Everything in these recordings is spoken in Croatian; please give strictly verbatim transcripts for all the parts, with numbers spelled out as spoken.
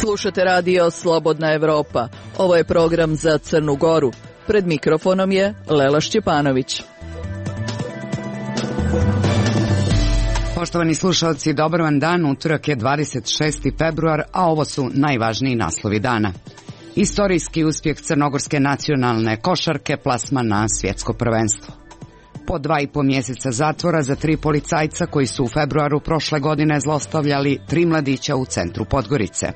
Slušate radio Slobodna Evropa. Ovo je program za Crnu Goru. Pred mikrofonom je Lela Šćepanović. Poštovani slušalci, dobar vam dan. Utorak je dvadeset šesti februar, a ovo su najvažniji naslovi dana. Istorijski uspjeh crnogorske nacionalne košarke, plasman na svjetsko prvenstvo. Po dva i po mjeseca zatvora za tri policajca koji su u februaru prošle godine zlostavljali tri mladića u centru Podgorice.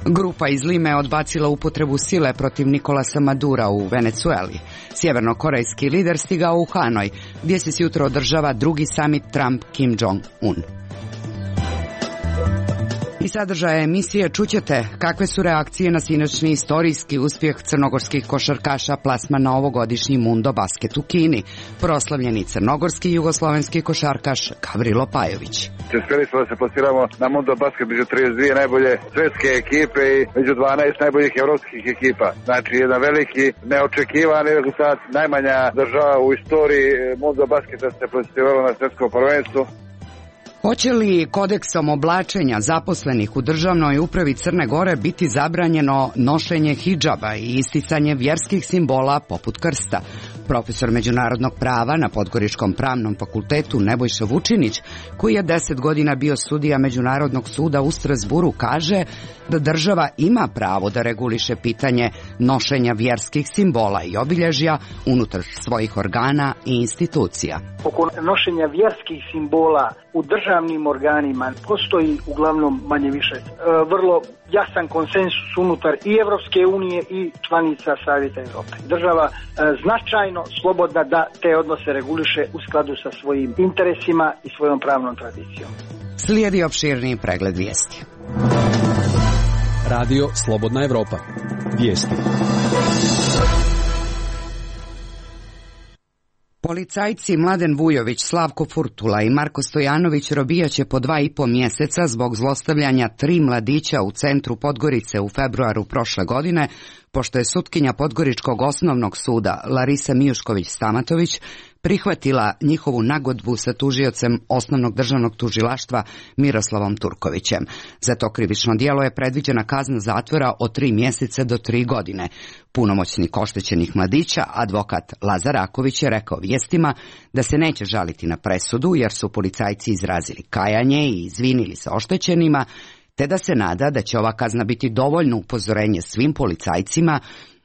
Grupa iz Lime je odbacila upotrebu sile protiv Nikolasa Madura u Venecueli. Sjevernokorejski lider stigao u Hanoj, gdje se jutro održava drugi samit Trump-Kim Jong-un. I sadržaje emisije čućete kakve su reakcije na sinoćni istorijski uspjeh crnogorskih košarkaša plasman na ovogodišnji Mundo basket u Kini, proslavljeni crnogorski i jugoslovenski košarkaš Gavrilo Pajović. Uspjeli smo da se plasiramo na Mundo basket među trideset dvije najbolje svjetske ekipe i među dvanaest najboljih evropskih ekipa. Znači jedan veliki, neočekivan rezultat, najmanja država u istoriji Mundo basketa se plasirala na svjetskom prvenstvu. Hoće li kodeksom oblačenja zaposlenih u državnoj upravi Crne Gore biti zabranjeno nošenje hidžaba i isticanje vjerskih simbola poput krsta? Profesor međunarodnog prava na Podgoričkom pravnom fakultetu Nebojša Vučinić, koji je deset godina bio sudija Međunarodnog suda u Strasburu, kaže da država ima pravo da reguliše pitanje nošenja vjerskih simbola i obilježja unutar svojih organa i institucija. Oko nošenja vjerskih simbola u državnim organima postoji uglavnom manje više e, vrlo jasan konsensus unutar i Evropske unije i članica Savjeta Europe. Država e, značajno slobodna da te odnose reguliše u skladu sa svojim interesima i svojom pravnom tradicijom. Slijedi opširniji pregled vijesti. Radio Slobodna Evropa. Vijesti. Policajci Mladen Vujović, Slavko Furtula i Marko Stojanović robijaće po dva i po mjeseca zbog zlostavljanja tri mladića u centru Podgorice u februaru prošle godine, pošto je sutkinja Podgoričkog osnovnog suda Larisa Mijušković-Stamatović prihvatila njihovu nagodbu sa tužiocem osnovnog državnog tužilaštva Miroslavom Turkovićem. Za to krivično djelo je predviđena kazna zatvora od tri mjeseca do tri godine. Punomoćnik oštećenih mladića, advokat Lazar Raković, je rekao vijestima da se neće žaliti na presudu jer su policajci izrazili kajanje i izvinili se oštećenima, te da se nada da će ova kazna biti dovoljno upozorenje svim policajcima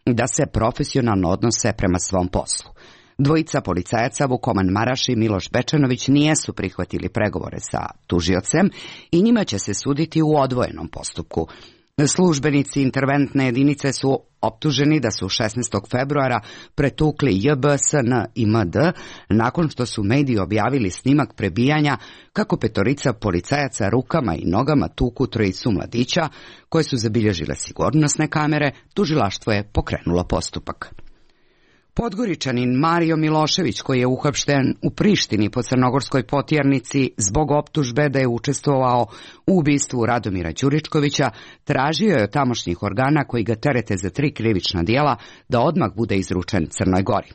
da se profesionalno odnose prema svom poslu. Dvojica policajaca, Vukoman Maraš i Miloš Bečanović, nijesu prihvatili pregovore sa tužiocem i njima će se suditi u odvojenom postupku. Službenici interventne jedinice su optuženi da su šesnaestog februara pretukli J B S N i M D nakon što su mediji objavili snimak prebijanja kako petorica policajaca rukama i nogama tuku trojicu mladića koje su zabilježile sigurnosne kamere. Tužilaštvo je pokrenulo postupak. Podgoričanin Mario Milošević, koji je uhapšten u Prištini po crnogorskoj potjernici zbog optužbe da je učestvovao u ubistvu Radomira Đuričkovića, tražio je od tamošnjih organa koji ga terete za tri krivična djela da odmah bude izručen Crnoj Gori.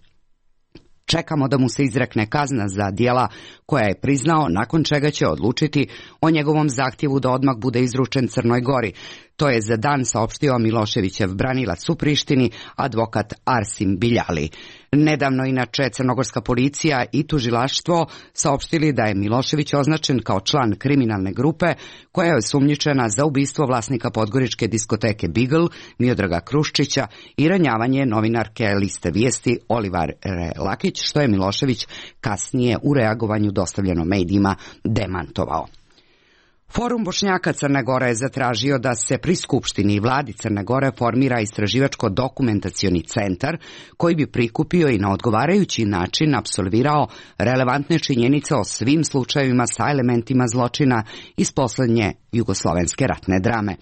Čekamo da mu se izrekne kazna za djela koja je priznao, nakon čega će odlučiti o njegovom zahtjevu da odmah bude izručen Crnoj Gori. To je za dan saopštio Miloševićev branilac u Prištini, advokat Arsim Biljali. Nedavno inače crnogorska policija i tužilaštvo saopštili da je Milošević označen kao član kriminalne grupe koja je osumnjičena za ubistvo vlasnika podgoričke diskoteke Beagle, Miodraga Kruščića, i ranjavanje novinarke liste vijesti Olivare Lakić, što je Milošević kasnije u reagovanju dostavljeno medijima demantovao. Forum Bošnjaka Crne Gore je zatražio da se pri Skupštini i vladi Crne Gore formira istraživačko-dokumentacioni centar koji bi prikupio i na odgovarajući način apsolvirao relevantne činjenice o svim slučajevima sa elementima zločina iz posljednje jugoslovenske ratne drame.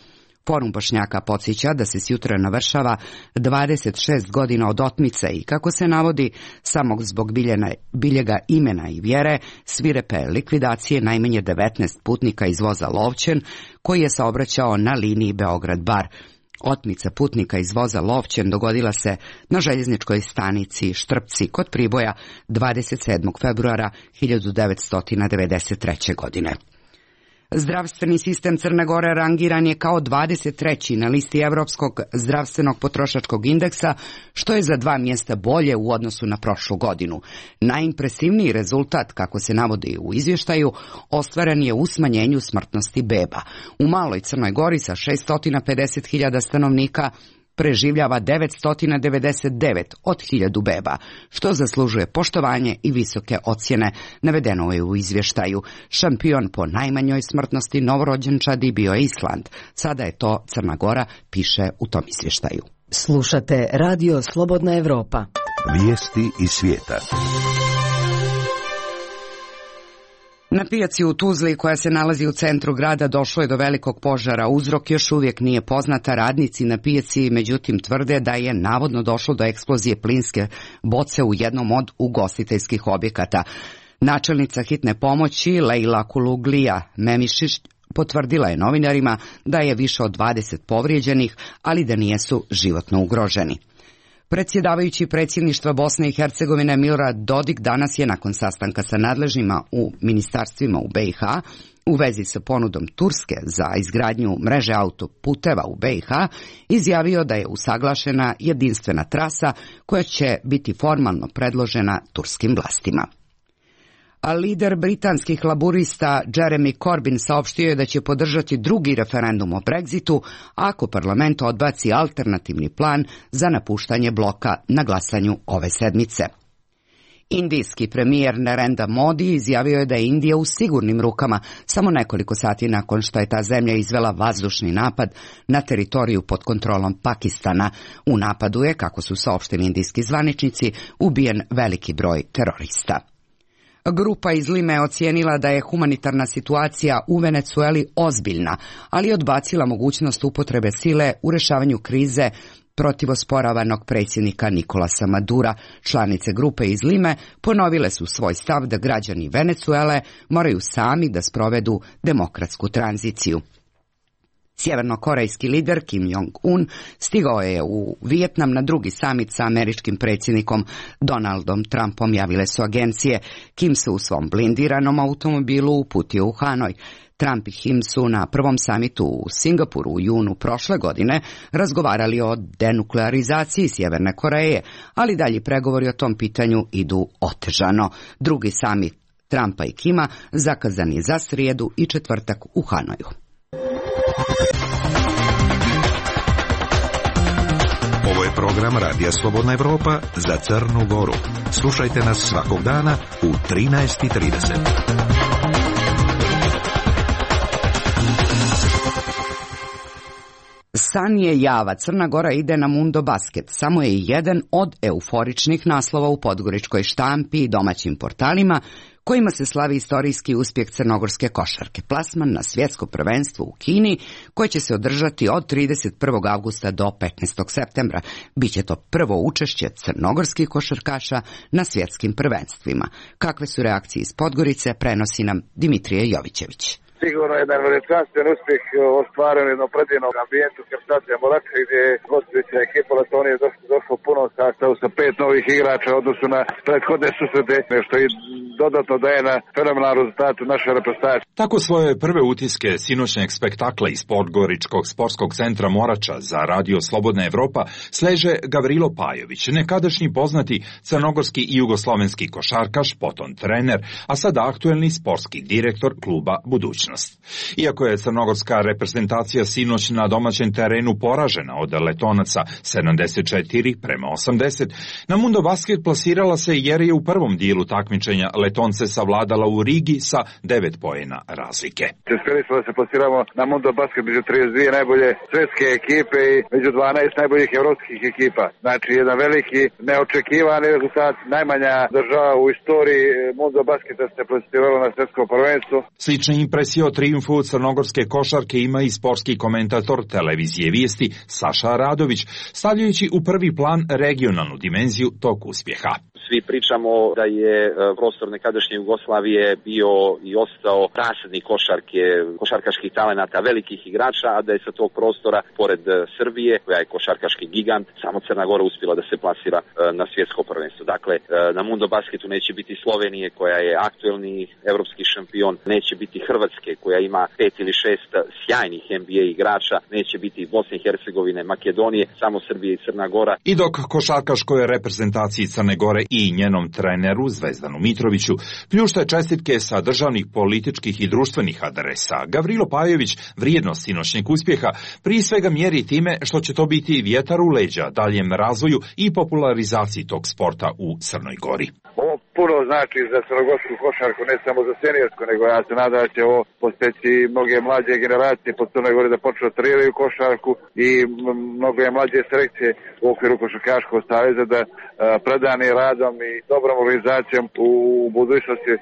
Forum Bošnjaka podsjeća da se sjutra navršava dvadeset šest godina od otmice i, kako se navodi, samo zbog biljena, biljega imena i vjere, svirepe likvidacije najmanje devetnaest putnika iz voza Lovćen koji je saobraćao na liniji Beograd-Bar. Otmica putnika iz voza Lovćen dogodila se na željezničkoj stanici Štrpci kod Priboja dvadeset sedmog februara hiljadu devetsto devedeset treće. godine. Zdravstveni sistem Crne Gore rangiran je kao dvadeset treći na listi Evropskog zdravstvenog potrošačkog indeksa, što je za dva mjesta bolje u odnosu na prošlu godinu. Najimpresivniji rezultat, kako se navodi u izvještaju, ostvaren je u smanjenju smrtnosti beba. U maloj Crnoj Gori sa šesto pedeset hiljada stanovnika preživljava devetsto devedeset devet od hiljadu beba, što zaslužuje poštovanje i visoke ocjene, navedeno je u izvještaju. Šampion po najmanjoj smrtnosti novorođenčadi bio je Island. Sada je to Crna Gora, piše u tom izvještaju. Slušate Radio Slobodna Evropa. Vijesti iz svijeta. Na pijaci u Tuzli, koja se nalazi u centru grada, došlo je do velikog požara. Uzrok još uvijek nije poznata. Radnici na pijaci međutim tvrde da je navodno došlo do eksplozije plinske boce u jednom od ugostiteljskih objekata. Načelnica hitne pomoći Lejla Kuluglija Memišić potvrdila je novinarima da je više od dvadeset povrijeđenih, ali da nijesu životno ugroženi. Predsjedavajući predsjedništva Bosne i Hercegovine Milorad Dodik danas je nakon sastanka sa nadležnima u ministarstvima u B i H u vezi sa ponudom Turske za izgradnju mreže autoputeva u B i H izjavio da je usaglašena jedinstvena trasa koja će biti formalno predložena turskim vlastima. A lider britanskih laburista Jeremy Corbyn saopštio je da će podržati drugi referendum o Brexitu ako parlament odbaci alternativni plan za napuštanje bloka na glasanju ove sedmice. Indijski premijer Narendra Modi izjavio je da je Indija u sigurnim rukama samo nekoliko sati nakon što je ta zemlja izvela vazdušni napad na teritoriju pod kontrolom Pakistana. U napadu je, kako su saopštili indijski zvaničnici, ubijen veliki broj terorista. Grupa iz Lime je ocijenila da je humanitarna situacija u Venecueli ozbiljna, ali je odbacila mogućnost upotrebe sile u rješavanju krize protiv osporavanog predsjednika Nikolasa Madura. Članice grupe iz Lime ponovile su svoj stav da građani Venecuele moraju sami da sprovedu demokratsku tranziciju. Sjevernokorejski lider Kim Jong-un stigao je u Vijetnam na drugi samit sa američkim predsjednikom Donaldom Trumpom, javile su agencije. Kim se u svom blindiranom automobilu uputio u Hanoj. Trump i Kim su na prvom samitu u Singapuru u junu prošle godine razgovarali o denuklearizaciji Sjeverne Koreje, ali dalji pregovori o tom pitanju idu otežano. Drugi samit Trumpa i Kima zakazan je za srijedu i četvrtak u Hanoju. Ovo je program Radija Slobodna Evropa za Crnu Goru. Slušajte nas svakog dana u trinaest i trideset. San je java, Crna Gora ide na Mundo Basket. Samo je jedan od euforičnih naslova u podgoričkoj štampi i domaćim portalima, kojima se slavi istorijski uspjeh crnogorske košarke. Plasman na svjetsko prvenstvo u Kini, koje će se održati od trideset prvog avgusta do petnaestog septembra. Biće to prvo učešće crnogorskih košarkaša na svjetskim prvenstvima. Kakve su reakcije iz Podgorice, prenosi nam Dimitrije Jovićević. Sigurno jedan veličanstven uspjeh ostvaren u jednom predivnom ambijentu Krstacija Moračka, gdje je gostujuća ekipa Letonije došlo u punom sastavu sa pet novih igrača u odnosu na prethodne susrete, što i dodatno daje na fenomenalnom rezultatu naše reprezentacije. Tako svoje prve utiske sinoćnjeg spektakla iz Podgoričkog sportskog centra Morača za Radio Slobodna Evropa sleže Gavrilo Pajović, nekadašnji poznati crnogorski i jugoslovenski košarkaš, potom trener, a sada aktuelni sportski direktor kluba Budućnost. Iako je crnogorska reprezentacija sinoć na domaćem terenu poražena od Letonaca sedamdeset četiri prema osamdeset, na Mundo Basket plasirala se jer je u prvom dijelu takmičenja Letonce savladala u Rigi sa devet poena razlike. Uspjeli smo da se plasiramo na Mundo Basket među trideset dvije najbolje svjetske ekipe i među dvanaest najboljih evropskih ekipa. Znači jedan veliki neočekivani rezultat, najmanja država u istoriji Mundo Basketa se plasirala na svjetsko prvenstvo. Slične impresije informacije o trijumfu crnogorske košarke ima i sportski komentator televizije Vijesti Saša Radović, stavljajući u prvi plan regionalnu dimenziju tog uspjeha. Svi pričamo da je prostor nekadašnje Jugoslavije bio i ostao rasadnik košarke, košarkaških talenata, velikih igrača, a da je sa tog prostora, pored Srbije, koja je košarkaški gigant, samo Crna Gora uspjela da se plasira na svjetsko prvenstvo. Dakle, na Mundo Basketu neće biti Slovenije, koja je aktuelni evropski šampion, neće biti Hrvatske, koja ima pet ili šest sjajnih N B A igrača, neće biti Bosne i Hercegovine, Makedonije, samo Srbije i Crna Gora. I dok košarkaškoj reprezentaciji Crne Gore i njenom treneru Zvezdanu Mitroviću pljušte čestitke sa državnih, političkih i društvenih adresa, Gavrilo Pajović vrijednost sinoćnjeg uspjeha prije svega mjeri time što će to biti vjetar u leđa daljem razvoju i popularizaciji tog sporta u Crnoj Gori. Ovo puno znači za crnogorsku košarku, ne samo za seniorsku, nego ja se nadam da će ovo posteći mnoge mlađe generacije po Crnoj Gori da počnu da treniraju košarku i mnoge mlađe selekcije u okviru Košarkaškog saveza da predani radom i dobrom organizacijom u budućnosti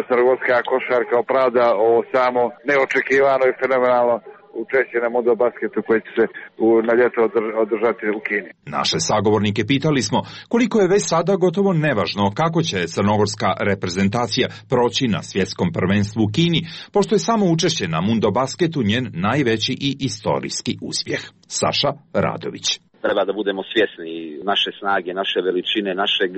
crnogorska košarka opravda o samo neočekivano i fenomenalno učešće na Mundo Basketu koji će se u, na ljeto održati u Kini. Naše sagovornike pitali smo koliko je već sada gotovo nevažno kako će crnogorska reprezentacija proći na svjetskom prvenstvu u Kini, pošto je samo učešće na Mundo Basketu njen najveći i istorijski uspjeh. Saša Radović. Treba da budemo svjesni naše snage, naše veličine, našeg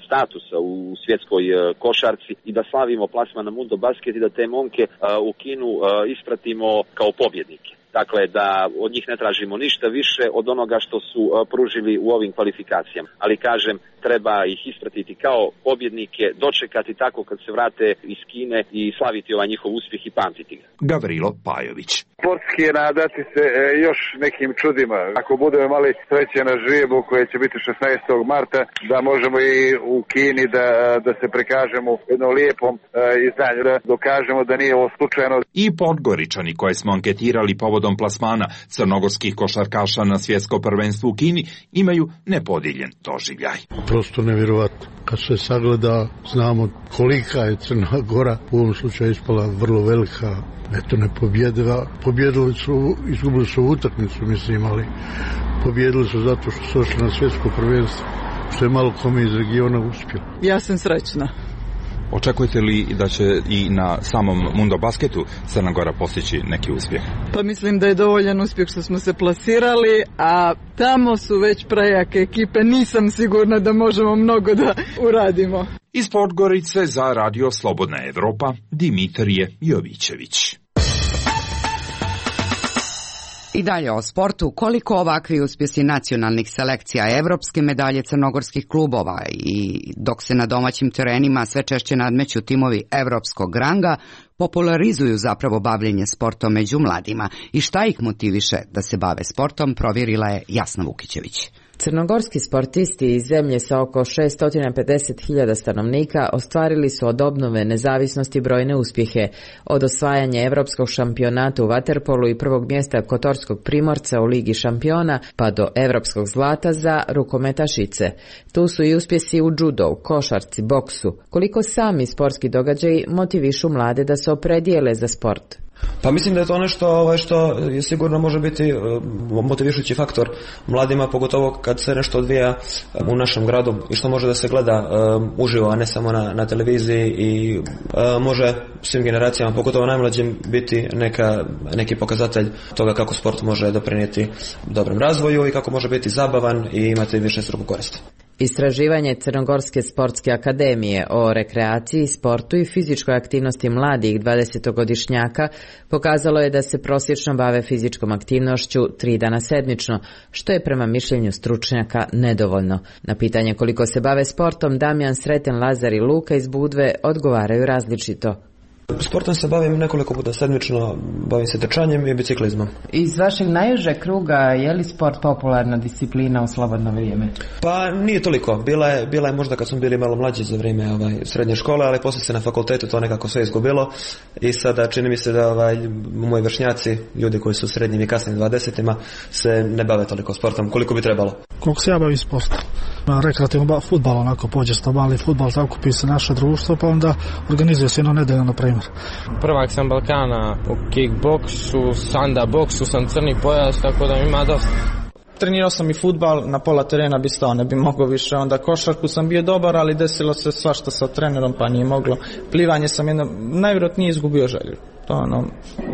statusa u svjetskoj košarci i da slavimo plasman na Mundo Basket i da te momke u Kinu ispratimo kao pobjednike. Dakle, da od njih ne tražimo ništa više od onoga što su pružili u ovim kvalifikacijama. Ali kažem, treba ih ispratiti kao pobjednike, dočekati tako kad se vrate iz Kine i slaviti ovaj njihov uspjeh i pamtiti ga. Gavrilo Pajović. Sportski je nadati se e, još nekim čudima. Ako budemo imali sreće na žrijebo koje će biti šesnaestog marta, da možemo i u Kini da, da se prikažemo jednom lijepom e, izdanju, da dokažemo da nije ovo slučajno. I Podgoričani koje smo anketirali povodom plasmana crnogorskih košarkaša na svjetsko prvenstvo u Kini imaju nepodijeljen doživljaj. Prosto nevjerovatno. Kad se sagleda, znamo kolika je Crna Gora, u ovom slučaju ispala vrlo velika, eto ne pobjedila. Pobjedili su, izgubili su utakmicu, mislim, ali pobjedili su zato što su ošli na svjetsko prvenstvo, što je malo kome iz regiona uspjelo. Ja sam srećna. Očekujete li da će i na samom Mundo Basketu Crna Gora postići neki uspjeh? Pa mislim da je dovoljan uspjeh što smo se plasirali, a tamo su već prejake ekipe, nisam sigurna da možemo mnogo da uradimo. Iz Podgorice za Radio Slobodna Evropa, Dimitrije Jovićević. I dalje o sportu, koliko ovakvi uspjesi nacionalnih selekcija, evropske medalje crnogorskih klubova i dok se na domaćim terenima sve češće nadmeću timovi evropskog ranga, popularizuju zapravo bavljenje sportom među mladima. I šta ih motiviše da se bave sportom, provjerila je Jasna Vukićević. Crnogorski sportisti iz zemlje sa oko šesto pedeset hiljada stanovnika ostvarili su od obnove nezavisnosti brojne uspjehe, od osvajanja evropskog šampionata u vaterpolu i prvog mjesta kotorskog Primorca u Ligi šampiona, pa do evropskog zlata za rukometašice. Tu su i uspjesi u judu, košarci, boksu. Koliko sami sportski događaji motivišu mlade da se opredijele za sport? Pa mislim da je to nešto ovaj, što je sigurno može biti motivišući faktor mladima, pogotovo kad se nešto odvija u našem gradu i što može da se gleda um, uživo, a ne samo na, na televiziji i um, može svim generacijama, pogotovo najmlađim, biti neka, neki pokazatelj toga kako sport može doprinijeti dobrom razvoju i kako može biti zabavan i imati više struku koristi. Istraživanje Crnogorske sportske akademije o rekreaciji, sportu i fizičkoj aktivnosti mladih dvadesetogodišnjaka pokazalo je da se prosječno bave fizičkom aktivnošću tri dana sedmično, što je prema mišljenju stručnjaka nedovoljno. Na pitanje koliko se bave sportom, Damjan, Sreten, Lazar i Luka iz Budve odgovaraju različito. Sportom se bavim nekoliko puta sedmično, bavim se trčanjem i biciklizmom. Iz vašeg najužeg kruga, je li sport popularna disciplina u slobodno vrijeme? Pa nije toliko. Bila je, bila je možda kad smo bili malo mlađi za vrijeme ovaj, srednje škole, ali poslije se na fakultetu to nekako sve izgubilo i sada čini mi se da ovaj, moji vršnjaci, ljudi koji su u srednjim i kasnim dvadesetima, se ne bave toliko sportom koliko bi trebalo. Koliko se ja bavim sportom? rekreativno fudbal, onako pođe sto mali fudbal, zakupi se naše društvo, pa onda organizuje se jedno nedeljno, na primjer. Prvak sam Balkana u kickboksu, sanda boksu, sam crni pojas, tako da ima dosta. Trenirao sam i fudbal, na pola terena bi stao, ne bi mogao više, onda košarku sam bio dobar, ali desilo se svašta sa trenerom, pa nije moglo. Plivanje sam jedno, najvjerojatnije izgubio želju. To ono,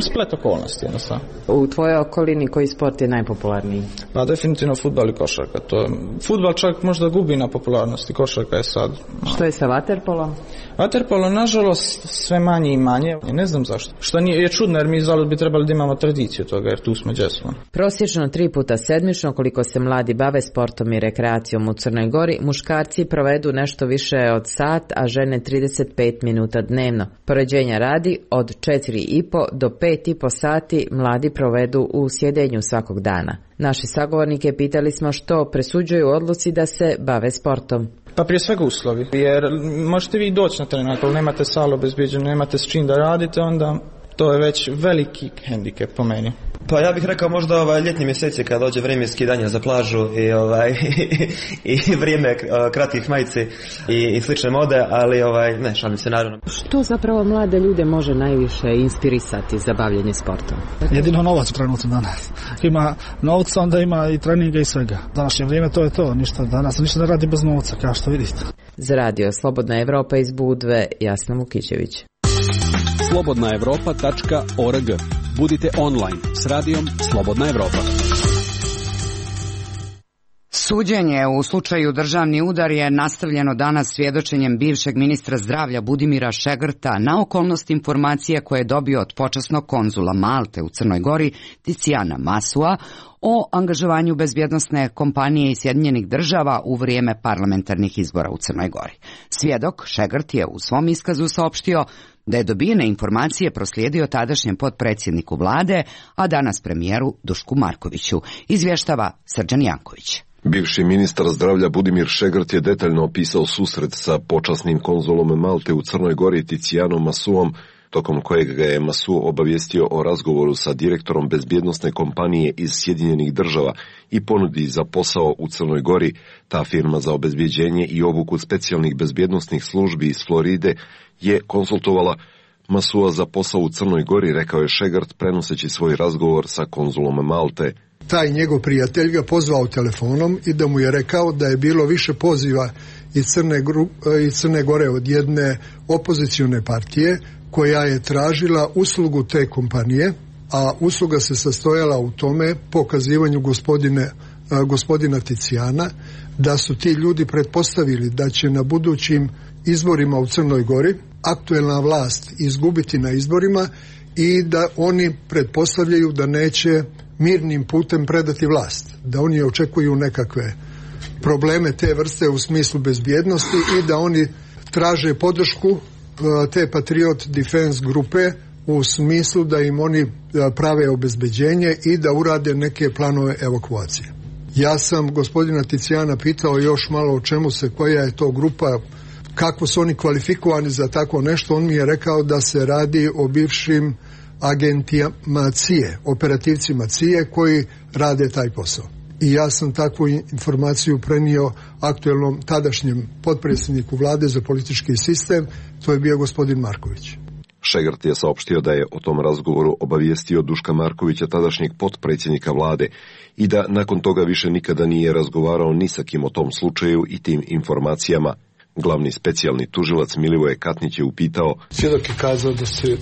splet okolnosti jednostavno. U tvojoj okolini koji sport je najpopularniji? Pa definitivno fudbal i košarka. To, fudbal čak možda gubi na popularnosti, košarka je sad. Što je sa vaterpolom? Vaterpolo, nažalost, sve manje i manje. Ne znam zašto. Što nije, je čudno, jer mi zalud bi trebali da imamo tradiciju toga, jer tu smo gdje smo. Prosječno tri puta sedmično, koliko se mladi bave sportom i rekreacijom u Crnoj Gori, muškarci provedu nešto više od sat, a žene trideset pet minuta dnevno. Poređenja radi, od četiri i po do pet i po sati mladi provedu u sjedenju svakog dana. Naši sagovornike pitali smo što presuđuju odluci da se bave sportom. Pa prije svega uslovi, jer možete vi doći na teren, ako nemate salu obezbijeđenu, nemate s čim da radite, onda to je već veliki hendikep po meni. Pa ja bih rekao možda ovaj ljetni mjeseci kad dođe vrijeme skidanja za plažu i ovaj i vrijeme kratkih majici i, i slične mode, ali ovaj ne, šalim se naravno. Što zapravo mlade ljude može najviše inspirisati za bavljenje sportom? Jedino novac u trenutku danas. Ima novca, onda ima i treninga i svega. Današnje vrijeme to je to, ništa danas ništa ne radi bez novca, kao što vidite. Za radio Slobodna Evropa iz Budve, Jasna Vukićević. slobodna evropa tačka org. Budite online s radijom Slobodna Evropa. Suđenje u slučaju državni udar je nastavljeno danas svjedočenjem bivšeg ministra zdravlja Budimira Šegrta na okolnost informacije koje je dobio od počasnog konzula Malte u Crnoj Gori Ticijana Masua o angažovanju bezbjednosne kompanije iz Sjedinjenih država u vrijeme parlamentarnih izbora u Crnoj Gori. Svjedok Šegrt je u svom iskazu saopštio da je dobijene informacije proslijedio tadašnjem potpredsjedniku vlade, a danas premijeru Dušku Markoviću, izvještava Srđan Janković. Bivši ministar zdravlja Budimir Šegrt je detaljno opisao susret sa počasnim konzulom Malte u Crnoj Gori Ticijanom Masuom, tokom kojeg ga je Masu obavijestio o razgovoru sa direktorom bezbjednosne kompanije iz Sjedinjenih država i ponudi za posao u Crnoj Gori. Ta firma za obezbjeđenje i obuku specijalnih bezbjednosnih službi iz Floride je konsultovala Masua za posao u Crnoj Gori, rekao je Šegrt prenoseći svoj razgovor sa konzulom Malte. Taj njegov prijatelj ga pozvao telefonom i da mu je rekao da je bilo više poziva iz Crne, iz Crne Gore od jedne opozicione partije koja je tražila uslugu te kompanije, a usluga se sastojala u tome pokazivanju gospodine, gospodina Ticijana, da su ti ljudi pretpostavili da će na budućim izborima u Crnoj Gori aktuelna vlast izgubiti na izborima i da oni pretpostavljaju da neće mirnim putem predati vlast, da oni očekuju nekakve probleme te vrste u smislu bezbjednosti i da oni traže podršku te Patriot Defense grupe u smislu da im oni prave obezbeđenje i da urade neke planove evakuacije. Ja sam gospodina Ticijana pitao još malo o čemu se, koja je to grupa, kako su oni kvalifikovani za tako nešto. On mi je rekao da se radi o bivšim agentima C I E, operativcima C I E koji rade taj posao. I ja sam takvu informaciju prenio aktuelnom tadašnjem potpredsjedniku vlade za politički sistem, to je bio gospodin Marković. Šegrt je saopštio da je o tom razgovoru obavijestio Duška Markovića, tadašnjeg potpredsjednika vlade, i da nakon toga više nikada nije razgovarao ni sa kim o tom slučaju i tim informacijama. Glavni specijalni tužilac Milivoje Katnić je upitao: svjedok je kazao da se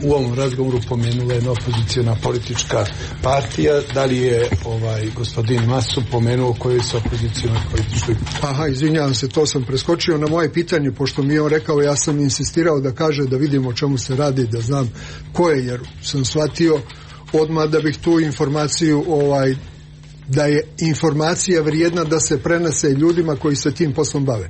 u ovom razgovoru pomenula jedna opozicijona politička partija, da li je ovaj gospodin Masu pomenuo kojoj se opozicijona političkoj? Aha, izvinjavam se, to sam preskočio na moje pitanje, pošto mi je on rekao, ja sam insistirao da kaže da vidimo o čemu se radi, da znam ko je, jer sam shvatio odmah da bih tu informaciju ovaj da je informacija vrijedna da se prenese ljudima koji se tim poslom bave.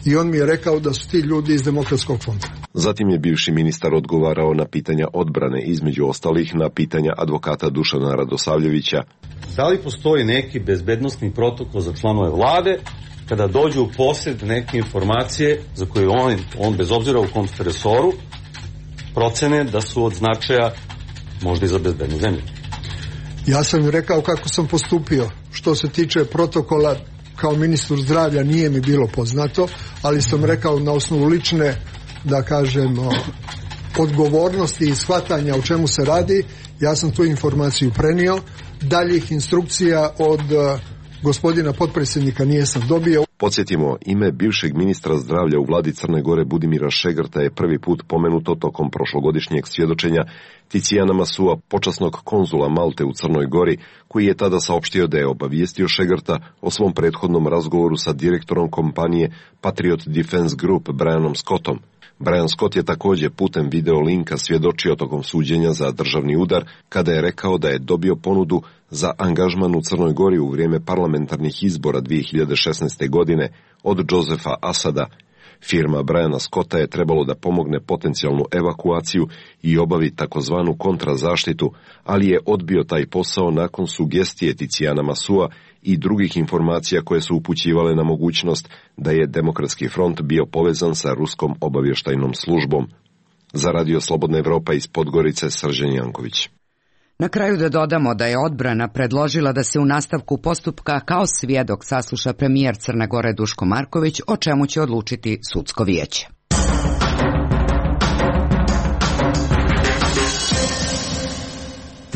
I on mi je rekao da su ti ljudi iz Demokratskog fonda. Zatim je bivši ministar odgovarao na pitanja odbrane, između ostalih na pitanja advokata Dušana Radosavljevića. Da li postoji neki bezbednosni protokol za članove vlade kada dođu u posjed neke informacije za koje on, on bez obzira u kom resoru procene da su od značaja možda i za bezbednu zemlju? Ja sam im rekao kako sam postupio. Što se tiče protokola, kao ministru zdravlja nije mi bilo poznato, ali sam rekao na osnovu lične, da kažem, odgovornosti i shvatanja o čemu se radi, ja sam tu informaciju prenio. Daljih instrukcija od gospodina potpredsjednika nijesam dobio. Podsjetimo, ime bivšeg ministra zdravlja u vladi Crne Gore Budimira Šegrta je prvi put pomenuto tokom prošlogodišnjeg svjedočenja Ticijana Masua, počasnog konzula Malte u Crnoj Gori, koji je tada saopštio da je obavijestio Šegrta o svom prethodnom razgovoru sa direktorom kompanije Patriot Defense Group Brianom Scottom. Brian Scott je također putem video linka svjedočio tokom suđenja za državni udar kada je rekao da je dobio ponudu za angažman u Crnoj Gori u vrijeme parlamentarnih izbora dvije hiljade šesnaeste. godine od Josefa Asada. Firma Briana Scotta je trebalo da pomogne potencijalnu evakuaciju i obavi takozvanu kontrazaštitu, ali je odbio taj posao nakon sugestije Ticijana Masua i drugih informacija koje su upućivale na mogućnost da je Demokratski front bio povezan sa ruskom obavještajnom službom. Za Radio Slobodna Evropa iz Podgorice, Srđan Janković. Na kraju da dodamo da je odbrana predložila da se u nastavku postupka kao svjedok sasluša premijer Crne Gore Duško Marković, o čemu će odlučiti sudsko vijeće.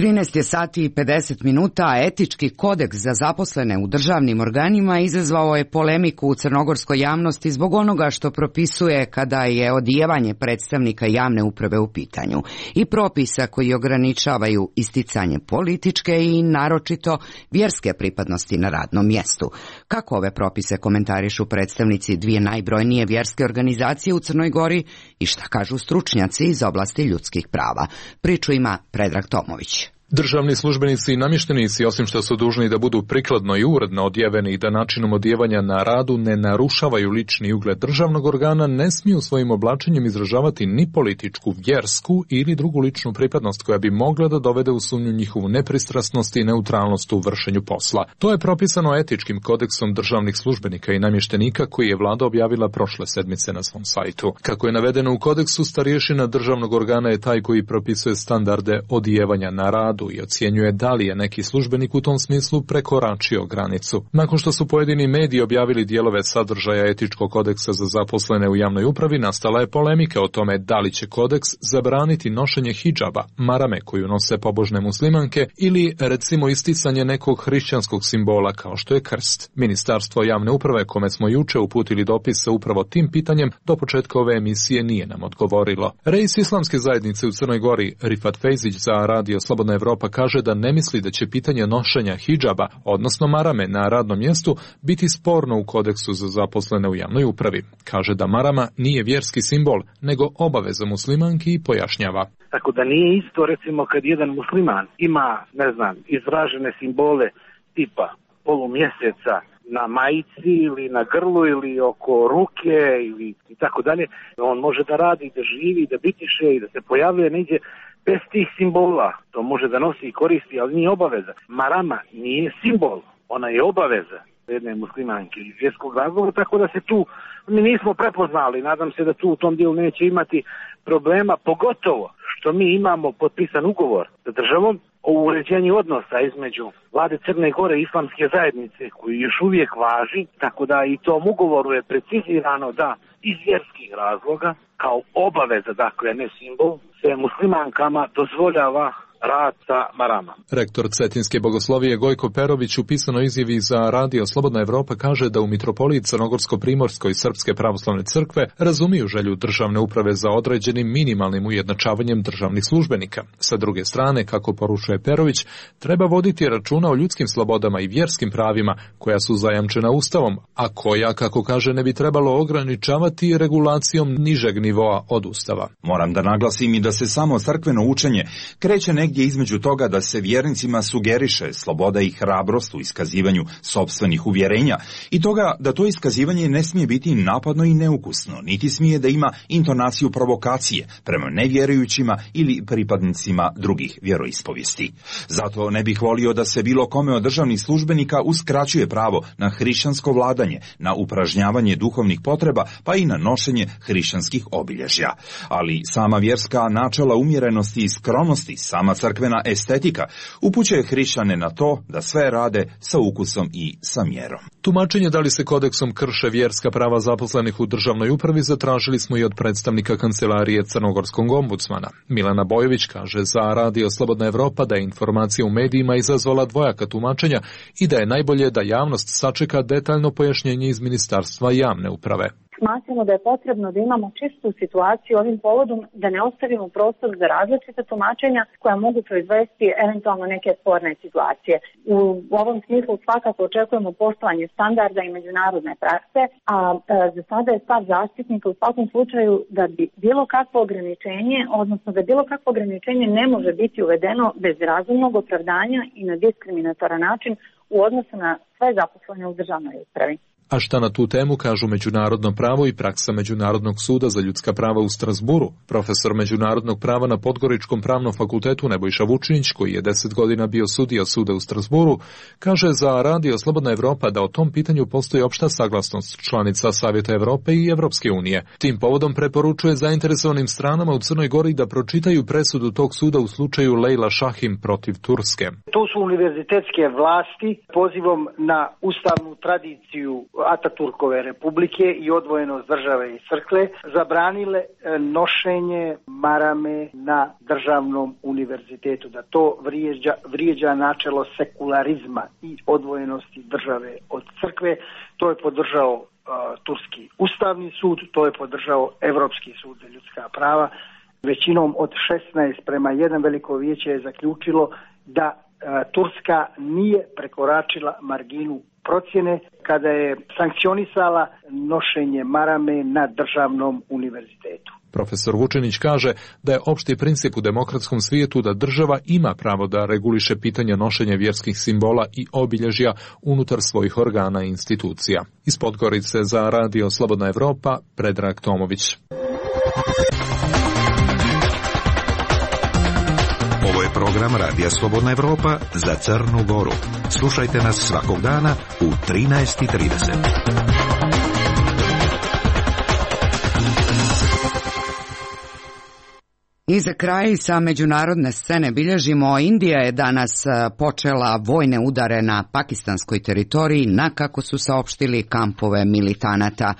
trinaest je sati i pedeset minuta, a etički kodeks za zaposlene u državnim organima izazvao je polemiku u crnogorskoj javnosti zbog onoga što propisuje kada je odijevanje predstavnika javne uprave u pitanju i propisa koji ograničavaju isticanje političke i naročito vjerske pripadnosti na radnom mjestu. Kako ove propise komentarišu predstavnici dvije najbrojnije vjerske organizacije u Crnoj Gori i šta kažu stručnjaci iz oblasti ljudskih prava? Priču ima Predrag Tomović. Državni službenici i namještenici, osim što su dužni da budu prikladno i uredno odjeveni i da načinom odjevanja na radu ne narušavaju lični ugled državnog organa, ne smiju svojim oblačenjem izražavati ni političku, vjersku ili drugu ličnu pripadnost koja bi mogla da dovede u sumnju njihovu nepristrasnost i neutralnost u vršenju posla. To je propisano etičkim kodeksom državnih službenika i namještenika koji je vlada objavila prošle sedmice na svom sajtu. Kako je navedeno u kodeksu, starješina državnog organa je taj koji propisuje standarde odjevanja na radu i ocjenjuje da li je neki službenik u tom smislu prekoračio granicu. Nakon što su pojedini mediji objavili dijelove sadržaja etičkog kodeksa za zaposlene u javnoj upravi, nastala je polemika o tome da li će kodeks zabraniti nošenje hidžaba, marame koju nose pobožne muslimanke, ili recimo isticanje nekog hrišćanskog simbola kao što je krst. Ministarstvo javne uprave, kome smo juče uputili dopis sa upravo tim pitanjem, do početka ove emisije nije nam odgovorilo. Reis islamske zajednice u Crnoj Gori, Rifat Fejzić, za Radio Slobodna Evropa pa kaže da ne misli da će pitanje nošenja hidžaba, odnosno marame na radnom mjestu, biti sporno u kodeksu za zaposlene u javnoj upravi. Kaže da marama nije vjerski simbol, nego obaveza muslimanki i pojašnjava. Tako da nije isto, recimo, kad jedan musliman ima, ne znam, izražene simbole tipa polumjeseca na majici ili na grlu ili oko ruke ili i tako dalje, on može da radi, da živi, da bitiše i da se pojavljuje negdje bez tih simbola. To može da nosi i koristi, ali nije obaveza. Marama nije simbol, ona je obaveza jedne muslimanke iz vjerskog razloga, tako da se tu mi nismo prepoznali. Nadam se da tu u tom dijelu neće imati problema, pogotovo što mi imamo potpisan ugovor sa državom o uređenju odnosa između vlade Crne Gore i islamske zajednice koji još uvijek važi, tako da i tom ugovoru je precizirano da iz vjerskih razloga kao obaveza, dakle ne simbol, se muslimankama dozvoljava rad sa marama. Rektor Cetinske bogoslovije Gojko Perović u pisanoj izjavi za Radio Slobodna Evropa kaže da u mitropoliji Crnogorsko-Primorskoj Srpske pravoslavne crkve razumiju želju državne uprave za određenim minimalnim ujednačavanjem državnih službenika. Sa druge strane, kako poručuje Perović, treba voditi računa o ljudskim slobodama i vjerskim pravima koja su zajamčena Ustavom, a koja, kako kaže, ne bi trebalo ograničavati regulacijom nižeg nivoa od Ustava. Moram da naglasim i da se samo crkveno učenje kreće negdje između toga da se vjernicima sugeriše sloboda i hrabrost u iskazivanju sopstvenih uvjerenja i toga da to iskazivanje ne smije biti napadno i neukusno, niti smije da ima intonaciju provokacije prema nevjerujućima ili pripadnicima drugih vjeroispovijesti. Zato ne bih volio da se bilo kome od državnih službenika uskraćuje pravo na hrišćansko vladanje, na upražnjavanje duhovnih potreba, pa i na nošenje hrišćanskih obilježja. Ali sama vjerska načela umjerenosti i skromnosti, sama crkvena estetika upućuje hrišćane na to da sve rade sa ukusom i sa mjerom. Tumačenje da li se kodeksom krše vjerska prava zaposlenih u državnoj upravi zatražili smo i od predstavnika kancelarije crnogorskog ombudsmana. Milana Bojović kaže za Radio Slobodna Evropa da je informacija u medijima izazvala dvojaka tumačenja i da je najbolje da javnost sačeka detaljno pojašnjenje iz Ministarstva javne uprave. Smatramo da je potrebno da imamo čistu situaciju ovim povodom, da ne ostavimo prostor za različite tumačenja koja mogu proizvesti eventualno neke sporne situacije. U ovom smislu svakako očekujemo poštovanje standarda i međunarodne prakse, a e, za sada je stav zaštitnika u svakom slučaju da bi bilo kakvo ograničenje, odnosno da bilo kakvo ograničenje ne može biti uvedeno bez razumnog opravdanja i na diskriminatoran način u odnosu na sve zaposlene u državnoj upravi. A šta na tu temu kažu međunarodno pravo i praksa Međunarodnog suda za ljudska prava u Strasburu? Profesor međunarodnog prava na Podgoričkom pravnom fakultetu Nebojša Vučinić, koji je deset godina bio sudija suda u Strasburu, kaže za Radio Slobodna Evropa da o tom pitanju postoji opšta saglasnost članica Savjeta Evrope i Evropske unije. Tim povodom preporučuje zainteresovanim stranama u Crnoj Gori da pročitaju presudu tog suda u slučaju Lejla Šahim protiv Turske. To su univerzitetske vlasti pozivom na ustavnu tradiciju Ataturkove republike i odvojenost države i crkve zabranile nošenje marame na državnom univerzitetu, da to vrijeđa, vrijeđa načelo sekularizma i odvojenosti države od crkve. To je podržao uh, Turski ustavni sud, to je podržao Evropski sud za ljudska prava. Većinom od šesnaest prema jedan veliko vijeće je zaključilo da uh, Turska nije prekoračila marginu procjene kada je sankcionisala nošenje marame na državnom univerzitetu. Profesor Vučinić kaže da je opšti princip u demokratskom svijetu da država ima pravo da reguliše pitanja nošenja vjerskih simbola i obilježja unutar svojih organa i institucija. Iz Podgorice za Radio Slobodna Evropa, Predrag Tomović. Ovo je program Radija Slobodna Evropa za Crnu Goru. Slušajte nas svakog dana u trinaest i trideset. I za kraj sa međunarodne scene bilježimo, Indija je danas počela vojne udare na pakistanskoj teritoriji na, kako su saopštili, kampove militanata.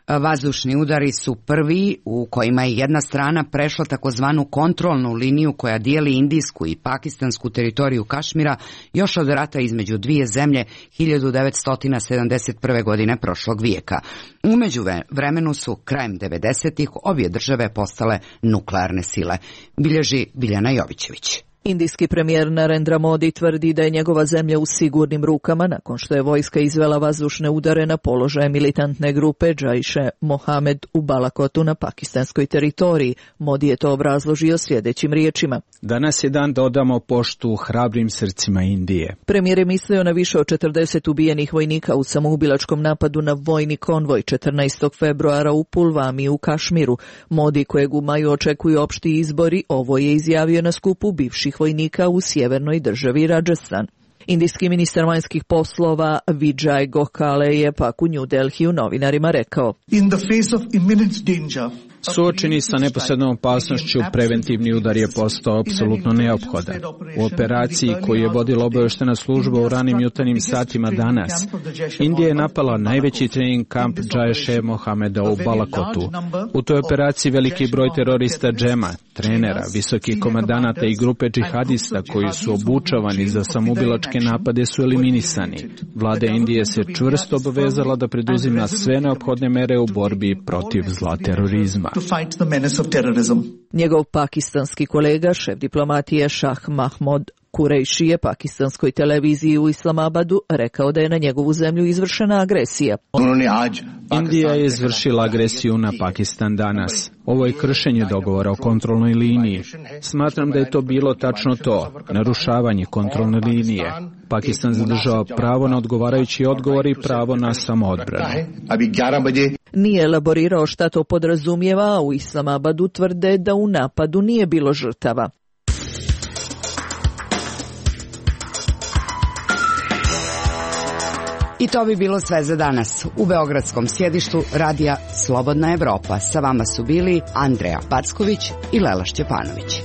Vazdušni udari su prvi u kojima je jedna strana prešla takozvanu kontrolnu liniju koja dijeli indijsku i pakistansku teritoriju Kašmira još od rata između dvije zemlje hiljadu devetsto sedamdeset prve. godine prošlog vijeka. Umeđu vremenu su krajem devedesetih obje države postale nuklearne sile, bilježi Biljana Jovićević. Indijski premijer Narendra Modi tvrdi da je njegova zemlja u sigurnim rukama nakon što je vojska izvela vazdušne udare na položaje militantne grupe Džajše Mohamed u Balakotu na pakistanskoj teritoriji. Modi je to obrazložio sljedećim riječima. Danas je dan da odamo poštu hrabrim srcima Indije. Premijer je mislio na više od četrdeset ubijenih vojnika u samoubilačkom napadu na vojni konvoj četrnaestog februara u Pulvami u Kašmiru. Modi, kojeg u maju očekuju opšti izbori, ovo je izjavio na skupu bivših vojnika u sjevernoj državi Rajasthan. Indijski ministar vanjskih poslova Vijay Gokhale je pak u New Delhiju novinarima rekao: In the face of imminent danger, suočeni sa neposrednom opasnošću, preventivni udar je postao apsolutno neophodan. U operaciji koju je vodila obavještajna služba u ranim jutarnjim satima danas, Indija je napala najveći trening kamp Džajše Mohameda u Balakotu. U toj operaciji veliki broj terorista džema, trenera, visokih komandanata i grupe džihadista koji su obučavani za samoubilačke napade su eliminisani. Vlada Indije se čvrsto obavezala da preduzima sve neophodne mere u borbi protiv zla terorizma. To fight the menace of terrorism. Njegov pakistanski kolega, šef diplomatije Šah Mahmud Kurejši je pakistanskoj televiziji u Islamabadu rekao da je na njegovu zemlju izvršena agresija. Indija je izvršila agresiju na Pakistan danas. Ovo je kršenje dogovora o kontrolnoj liniji. Smatram da je to bilo tačno to, narušavanje kontrolne linije. Pakistan zadržava pravo na odgovarajući odgovor i pravo na samoodbranu. Nije elaborirao šta to podrazumijeva, a u Islamabadu tvrde da u napadu nije bilo žrtava. I to bi bilo sve za danas. U beogradskom sjedištu Radija Slobodna Evropa sa vama su bili Andreja Packović i Lela Šćepanović.